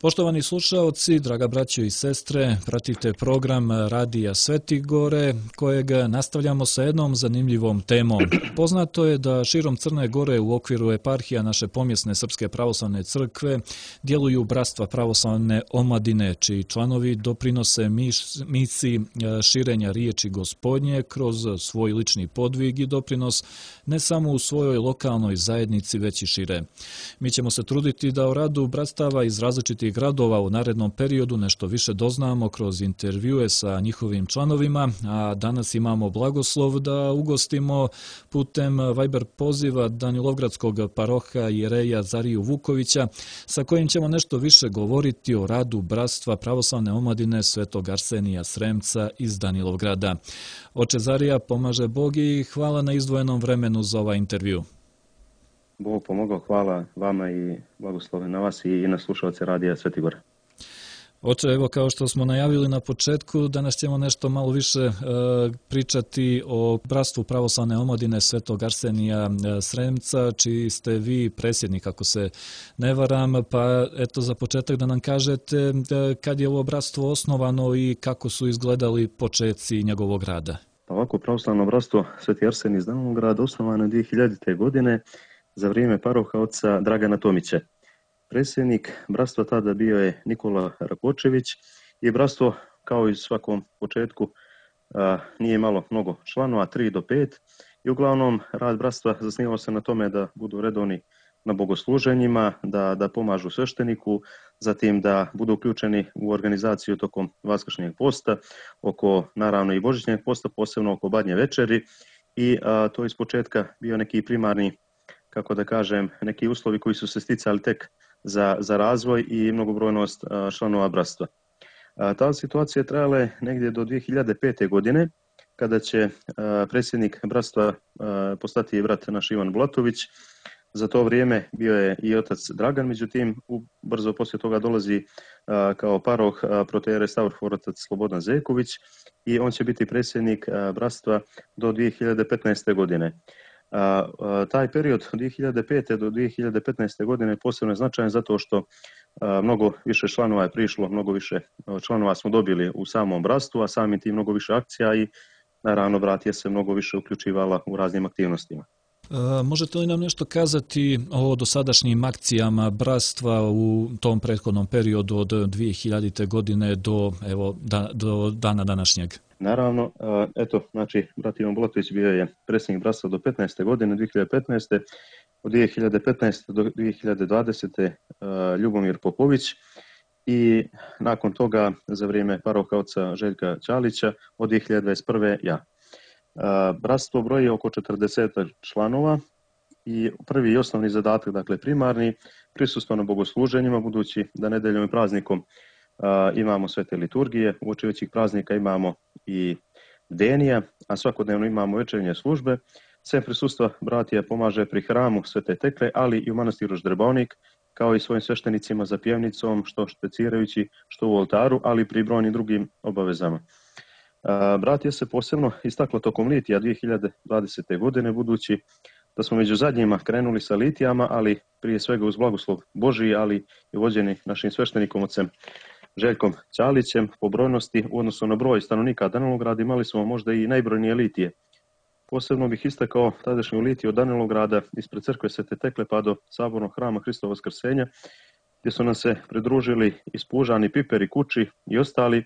Poštovani slušaoci, draga braćo i sestre, pratite program Radija Sveti Gore, kojeg nastavljamo sa jednom zanimljivom temom. Poznato je da širom Crne Gore u okviru eparhija naše pomjesne Srpske pravoslavne crkve djeluju bratstva pravoslavne omladine, čiji članovi doprinose misiji širenja riječi Gospodnje kroz svoj lični podvig i doprinos ne samo u svojoj lokalnoj zajednici, već i šire. Mi ćemo se truditi da o radu bratstava iz različitih gradova u narednom periodu nešto više doznamo kroz intervjue sa njihovim članovima, a danas imamo blagoslov da ugostimo putem Viber poziva Danilovgradskog paroha Jereja Zariju Vukovića, sa kojim ćemo nešto više govoriti o radu bratstva pravoslavne omladine Svetog Arsenija Sremca iz Danilovgrada. Oče Zarija, pomaže Bog i hvala na izdvojenom vremenu za ovaj intervju. Bog pomogao, hvala vama i blagoslove na vas i na slušalce Radija Sveti Gore. Oče, evo kao što smo najavili na početku, danas ćemo nešto malo više pričati o bratstvu pravoslavne omladine Svetog Arsenija Sremca, čiji ste vi predsjednik, ako se ne varam, pa eto za početak da nam kažete kad je ovo bratstvo osnovano i kako su izgledali početci njegovog rada. Ovako, pravoslavno bratstvo Sveti Arsenij iz Danilovgrada osnovano je 2000. godine za vrijeme paroha oca Dragana Tomića. Predsjednik bratstva tada bio je Nikola Rakočević i bratstvo, kao i svakom početku, nije imalo mnogo članova, 3 do 5, i uglavnom rad bratstva zasnivao se na tome da budu redovni na bogosluženjima, da pomažu svešteniku, zatim da budu uključeni u organizaciju tokom Vaskršnjeg posta, oko naravno i Božićnjeg posta, posebno oko Badnje večeri, i to iz početka bio neki primarni, kako da kažem, neki uslovi koji su se sticali tek za razvoj i mnogobrojnost članova bratstva. Ta situacija trajala je negdje do 2005. godine, kada će predsjednik bratstva postati brat naš Ivan Bulatović. Za to vrijeme bio je i otac Dragan, međutim, brzo poslije toga dolazi kao paroh protoijerej Stavrofor otac Slobodan Zeković i on će biti predsjednik bratstva do 2015. godine. Taj period od 2005. do 2015. godine posebno je značajan zato što mnogo više članova je prišlo, mnogo više članova smo dobili u samom bratstvu, a samim tim mnogo više akcija i naravno bratija se mnogo više uključivala u raznim aktivnostima. Možete li nam nešto kazati o dosadašnjim akcijama bratstva u tom prethodnom periodu od 2000. godine do dana današnjeg? Naravno, znači, brat Ivan Bulatović bio je predsjednik bratstva do 15. godine, 2015. Od 2015. do 2020. Ljubomir Popović i nakon toga za vrijeme paroha oca Željka Ćalića od 2021. ja. Bratstvo broji oko 40 članova i prvi i osnovni zadatak, dakle primarni, prisustvo na bogosluženjima, budući da nedeljom i praznikom imamo svete liturgije, uoči većih praznika imamo i bdenija, a svakodnevno imamo večernje službe. Sem prisustva bratija pomaže pri hramu Svete Tekle, ali i u manastiru Ždrbaonik, kao i svojim sveštenicima za pjevnicom, što špecirajući, što u oltaru, ali i pri brojnim drugim obavezama. Bratija se posebno istaklo tokom litija 2020. godine, budući da smo među zadnjima krenuli sa litijama, ali prije svega uz blagoslov Božiji, ali i vođeni našim sveštenikom ocem Željkom Ćalićem. Po brojnosti u odnosu na broj stanovnika Danilovgrada imali smo možda i najbrojnije litije. Posebno bih istakao tadašnju litiju od Danilovgrada ispred crkve Svete Tekle pa do sabornog hrama Hristova Vaskrsenja, gdje su nam se pridružili Ispužani, Piperi, Kuči i ostali,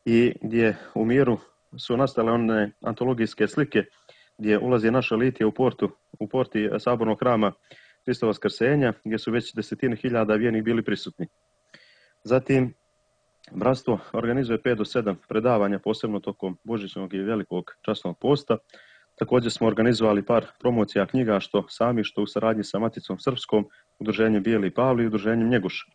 i gdje u miru su nastale one antologijske slike gdje ulazi naša litija u porti sabornog hrama Hristova Vaskrsenja, gdje su već desetine hiljada vjernih bili prisutni. Zatim, bratstvo organizuje 5 do 7 predavanja, posebno tokom Božićnog i Velikog časnog posta. Također smo organizovali par promocija knjiga, što sami, što u saradnji sa Maticom Srpskom, udruženjem Bijeli Pavli i udruženjem Njeguš.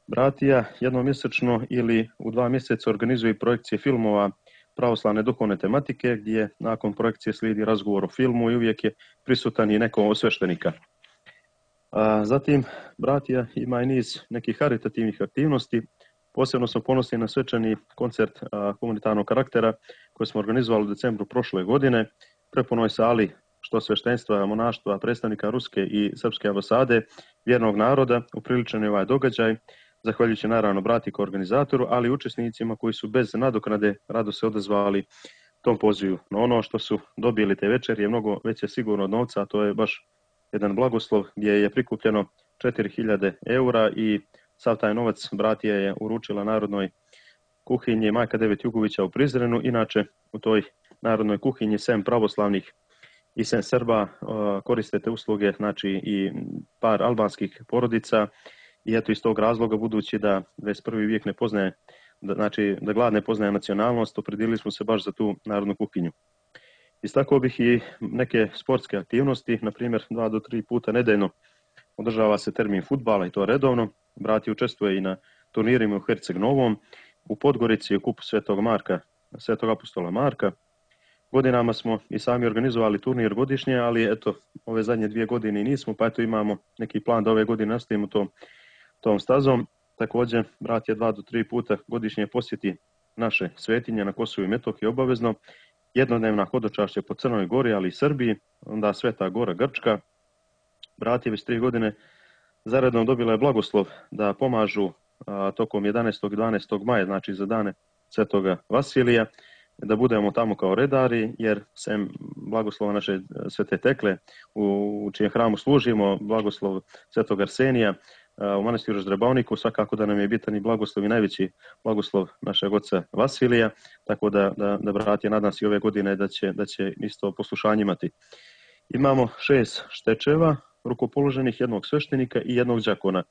Bratija jednomjesečno ili u 2 mjeseca organizuje projekcije filmova pravoslavne duhovne tematike, gdje nakon projekcije slijedi razgovor o filmu i uvijek je prisutan i neko od sveštenika. Zatim, bratija ima i niz nekih karitativnih aktivnosti. Posebno smo ponosni na svečani koncert humanitarnog karaktera koji smo organizovali u decembru prošle godine, prepunoj sali što sveštenstva, monaštva, predstavnika Ruske i Srpske ambasade, vjernog naroda. Upriličen je ovaj događaj. zahvaljujući naravno brati kao organizatoru, ali i učesnicima koji su bez nadoknade rado se odazvali tom pozivu. No ono što su dobili te večeri je mnogo veće sigurno od novca, a to je baš jedan blagoslov gdje je prikupljeno 4000 eura i sav taj novac bratija je uručila Narodnoj kuhinji Majka Devet Jugovića u Prizrenu. Inače, u toj Narodnoj kuhinji sem pravoslavnih i sem Srba koriste te usluge, znači i par albanskih porodica, i eto iz tog razloga, budući da 21. vijek ne poznaje, da glad ne poznaje nacionalnost, opredijelili smo se baš za tu narodnu kuhinju. Istakao bih i neke sportske aktivnosti, na primjer 2 do 3 puta nedeljno održava se termin fudbala i to redovno. Brat učestvuje i na turnirima u Herceg Novom, u Podgorici u kupu Svetog apostola Marka. Godinama smo i sami organizovali turnir godišnje, ali eto, ove zadnje 2 godine nismo, pa eto imamo neki plan da ove godine nastavimo tom stazom. Također, brat 2 do 3 puta godišnje posjeti naše svetinje na Kosovu i Metohiji obavezno, jednodnevna hodočašća po Crnoj Gori, ali i Srbiji, onda Sveta Gora Grčka. Brat već 3 godine zaredom dobila je blagoslov da pomažu tokom 11. i 12. maja, znači za dane Svetoga Vasilija, da budemo tamo kao redari, jer sem blagoslova naše Svete Tekle, u čijem hramu služimo, blagoslov Svetog Arsenija u manastiru Ždrebavniku, svakako da nam je bitan i blagoslov i najveći blagoslov našeg oca Vasilija, tako da brat je nadam se i ove godine da će isto poslušanje imati. Imamo 6 štečeva rukopoloženih, jednog sveštenika i jednog đakona.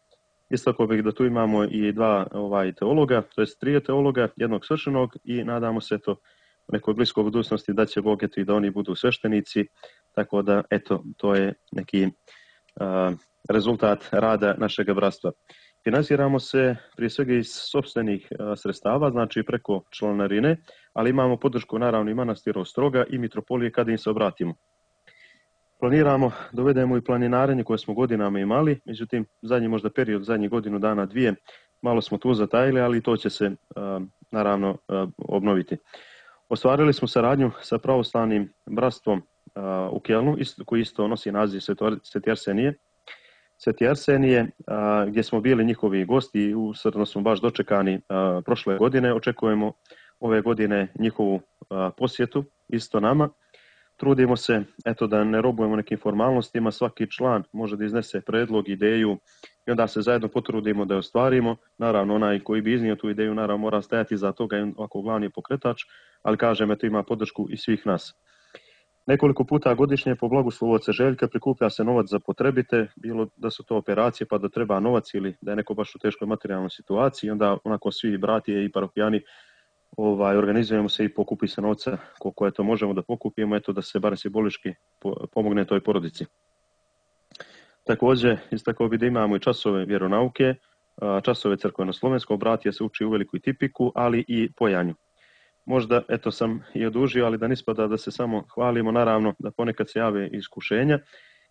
Istakao bih da tu imamo i 2 teologa, to jest 3 teologa, jednog sveštenog, i nadamo se u nekoj bliskoj budućnosti da će Bog i da oni budu sveštenici, tako da eto, to je neki rezultat rada našeg bratstva. Finansiramo se prije svega iz sopstvenih sredstava, znači preko članarine, ali imamo podršku naravno i manastira Ostroga i mitropolije kada im se obratimo. Planiramo da uvedemo i planinarenje koje smo godinama imali, međutim zadnji možda period, zadnjih godinu dana, 2, malo smo tu zatajili, ali to će se naravno obnoviti. Ostvarili smo saradnju sa pravoslavnim bratstvom u Kelnu, koji isto nosi naziv Sveti Arsenije. Sveti Arsenije, gdje smo bili njihovi gosti i usrdno smo baš dočekani prošle godine. Očekujemo ove godine njihovu posjetu isto nama. Trudimo se da ne robujemo nekim formalnostima, svaki član može da iznese predlog, ideju i onda se zajedno potrudimo da je ostvarimo. Naravno, onaj koji bi iznio tu ideju naravno mora stajati za toga ako glavni je pokretač, ali kažem, ima podršku i svih nas. Nekoliko puta godišnje po blagoslovu oca Željka prikuplja se novac za potrebite, bilo da su to operacije pa da treba novac ili da je neko baš u teškoj materijalnoj situaciji, onda onako svi bratije i parokijani organizujemo se i pokupi se novca koliko je to možemo da pokupimo, da se bar simbolički pomogne toj porodici. Također, istakao bi da imamo i časove vjeronauke, časove crkveno-slovenskog, bratija se uči u veliku tipiku, ali i pojanju. Možda, sam i odužio, ali da ne ispada da se samo hvalimo, naravno da ponekad se jave iskušenja,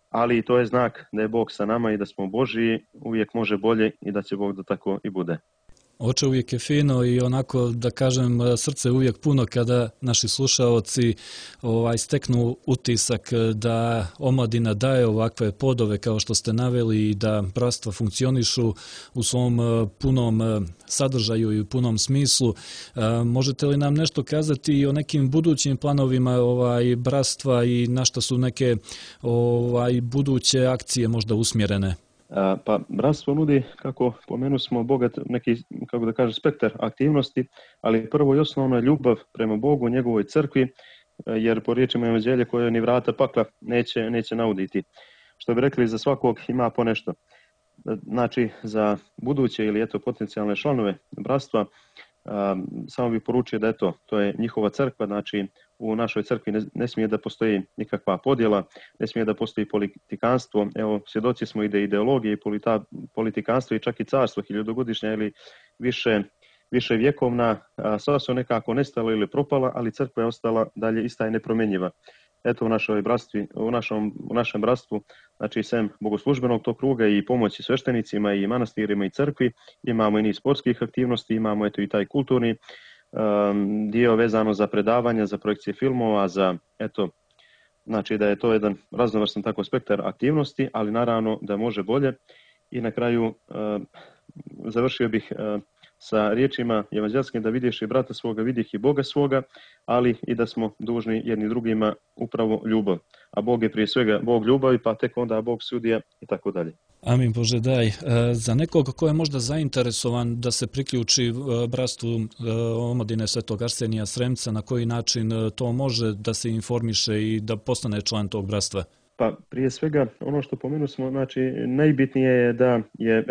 ali to je znak da je Bog sa nama i da smo Božiji, uvijek može bolje i da će Bog da tako i bude. Oče, uvijek je fino i onako, da kažem, srce uvijek puno kada naši slušaoci steknu utisak da omladina daje ovakve podove kao što ste naveli i da bratstva funkcionišu u svom punom sadržaju i u punom smislu. Možete li nam nešto kazati i o nekim budućim planovima bratstva i na šta su neke buduće akcije možda usmjerene? Pa bratstvo nudi, kako pomenu smo, bogat neki, kako da kažem, spektar aktivnosti, ali prvo i osnovno je ljubav prema Bogu, njegovoj crkvi, jer po riječima evanđelja koje ni vrata pakla neće nauditi. Što bi rekli, za svakog ima po nešto. Znači, za buduće ili potencijalne članove bratstva, samo bih poručio da to je njihova crkva, znači u našoj crkvi ne smije da postoji nikakva podjela, ne smije da postoji politikanstvo. Evo, svjedoci smo i da ideologije i politikanstvo i čak i carstvo hiljadugodišnja ili više vjekovna, sva su nekako nestala ili propala, ali crkva je ostala dalje ista i nepromjenjiva. U našem bratstvu, znači sem bogoslužbenog tog kruga i pomoći sveštenicima i manastirima i crkvi, imamo i niz sportskih aktivnosti, imamo i taj kulturni dio vezano za predavanja, za projekcije filmova, znači da je to jedan raznovrstan tako spektar aktivnosti, ali naravno da može bolje. I na kraju završio bih sa riječima evanđelskim da vidiš i brata svoga, vidih i Boga svoga, ali i da smo dužni jedni drugima upravo ljubav. A Bog je prije svega Bog ljubavi, pa tek onda Bog sudija i tako dalje. Amin Bože daj. Za nekog ko je možda zainteresovan da se priključi bratstvu omladine Svetog Arsenija Sremca, na koji način to može da se informiše i da postane član tog bratstva? Pa prije svega ono što pomenu smo, znači najbitnije je da je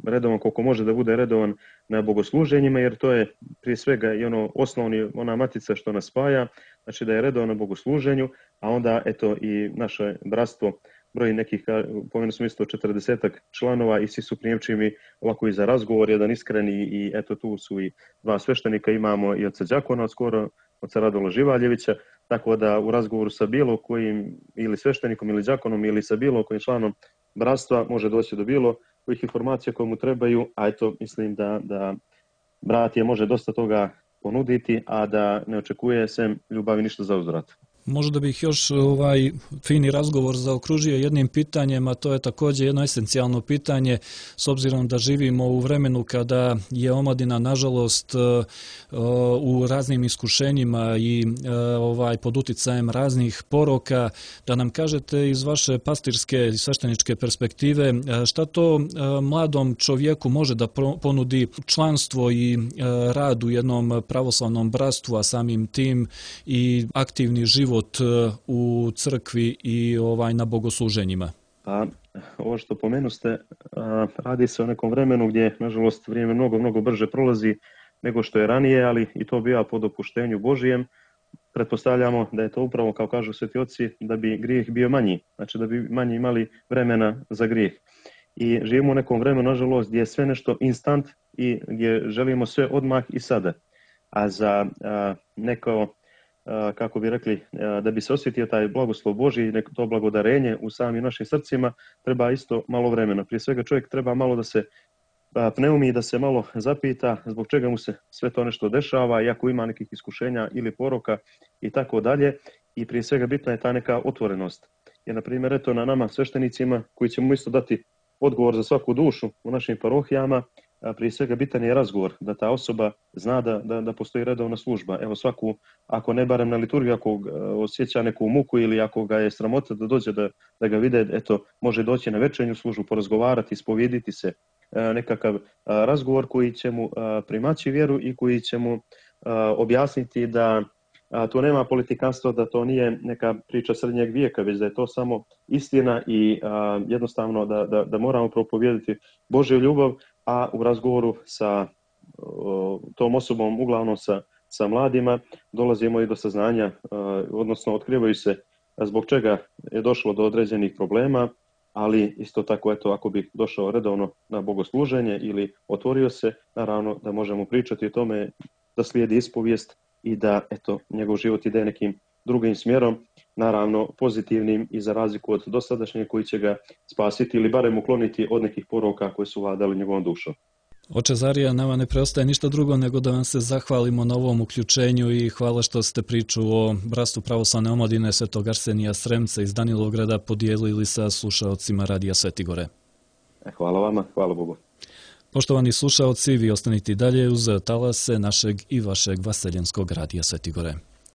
redovan koliko može da bude redovan na bogosluženjima, jer to je prije svega i ono osnovni, ona matica što nas spaja, znači da je redovan na bogosluženju, a onda i naše bratstvo broji nekih, pomenu smo isto 40 članova i svi su prijemčivi ovako i za razgovor, jedan iskreni i tu su i dva sveštenika, imamo i oca Đakona skoro, oca Radola Živaljevića, tako da u razgovoru sa bilo kojim ili sveštenikom ili đakonom ili sa bilo kojim članom bratstva može doći do bilo kojih informacija koje mu trebaju, a mislim da brat je može dosta toga ponuditi, a da ne očekuje sem ljubavi ništa za uzvrat. Možda bih još fini razgovor zaokružio jednim pitanjem, a to je također jedno esencijalno pitanje, s obzirom da živimo u vremenu kada je omladina, nažalost, u raznim iskušenjima i pod uticajem raznih poroka, da nam kažete iz vaše pastirske i svešteničke perspektive šta to mladom čovjeku može da ponudi članstvo i rad u jednom pravoslavnom bratstvu, a samim tim i aktivni život u crkvi i na bogosluženjima? Pa, ovo što pomenuste, radi se o nekom vremenu gdje, nažalost, vrijeme mnogo brže prolazi nego što je ranije, ali i to biva po dopuštenju Božijem. Pretpostavljamo da je to upravo, kao kažu sveti oci, da bi grijeh bio manji, znači da bi manje imali vremena za grijeh. I živimo u nekom vremenu, nažalost, gdje je sve nešto instant i gdje želimo sve odmah i sada. A za neko, kako bi rekli, da bi se osjetio taj blagoslov Božji, to blagodarenje u samim našim srcima, treba isto malo vremena. Prije svega čovjek treba malo da se pneumi, da se malo zapita zbog čega mu se sve to nešto dešava, i ako ima nekih iskušenja ili poroka i tako dalje. I prije svega bitna je ta neka otvorenost. Jer, na primjer, na nama sveštenicima koji ćemo isto dati odgovor za svaku dušu u našim parohijama, prije svega bitan je razgovor, da ta osoba zna da postoji redovna služba. Evo svaku, ako ne barem na liturgiju, ako osjeća neku muku ili ako ga je sramota da dođe da ga vide, može doći na večernju službu, porazgovarati, ispovijediti se, nekakav razgovor koji će mu primaći vjeru i koji će mu objasniti da to nema politikanstva, da to nije neka priča srednjeg vijeka, već da je to samo istina i jednostavno da moramo propovijediti Božju ljubav, a u razgovoru sa tom osobom, uglavnom sa mladima, dolazimo i do saznanja, odnosno otkrivaju se zbog čega je došlo do određenih problema, ali isto tako, ako bi došao redovno na bogosluženje ili otvorio se, naravno da možemo pričati o tome, da slijedi ispovijest i da njegov život ide nekim drugim smjerom, naravno pozitivnim i za razliku od dosadašnjeg koji će ga spasiti ili barem ukloniti od nekih poroka koji su vladali njegovom dušom. Oče Zarija, nama ne preostaje ništa drugo nego da vam se zahvalimo na ovom uključenju i hvala što ste priču o bratstvu pravoslavne omladine Svetog Arsenija Sremca iz Danilovgrada podijelili sa slušaocima Radija Svetigore. Hvala vama, hvala Bogu. Poštovani slušaoci, vi ostanite dalje uz talase našeg i vašeg vaseljenskog Radija Svetigore.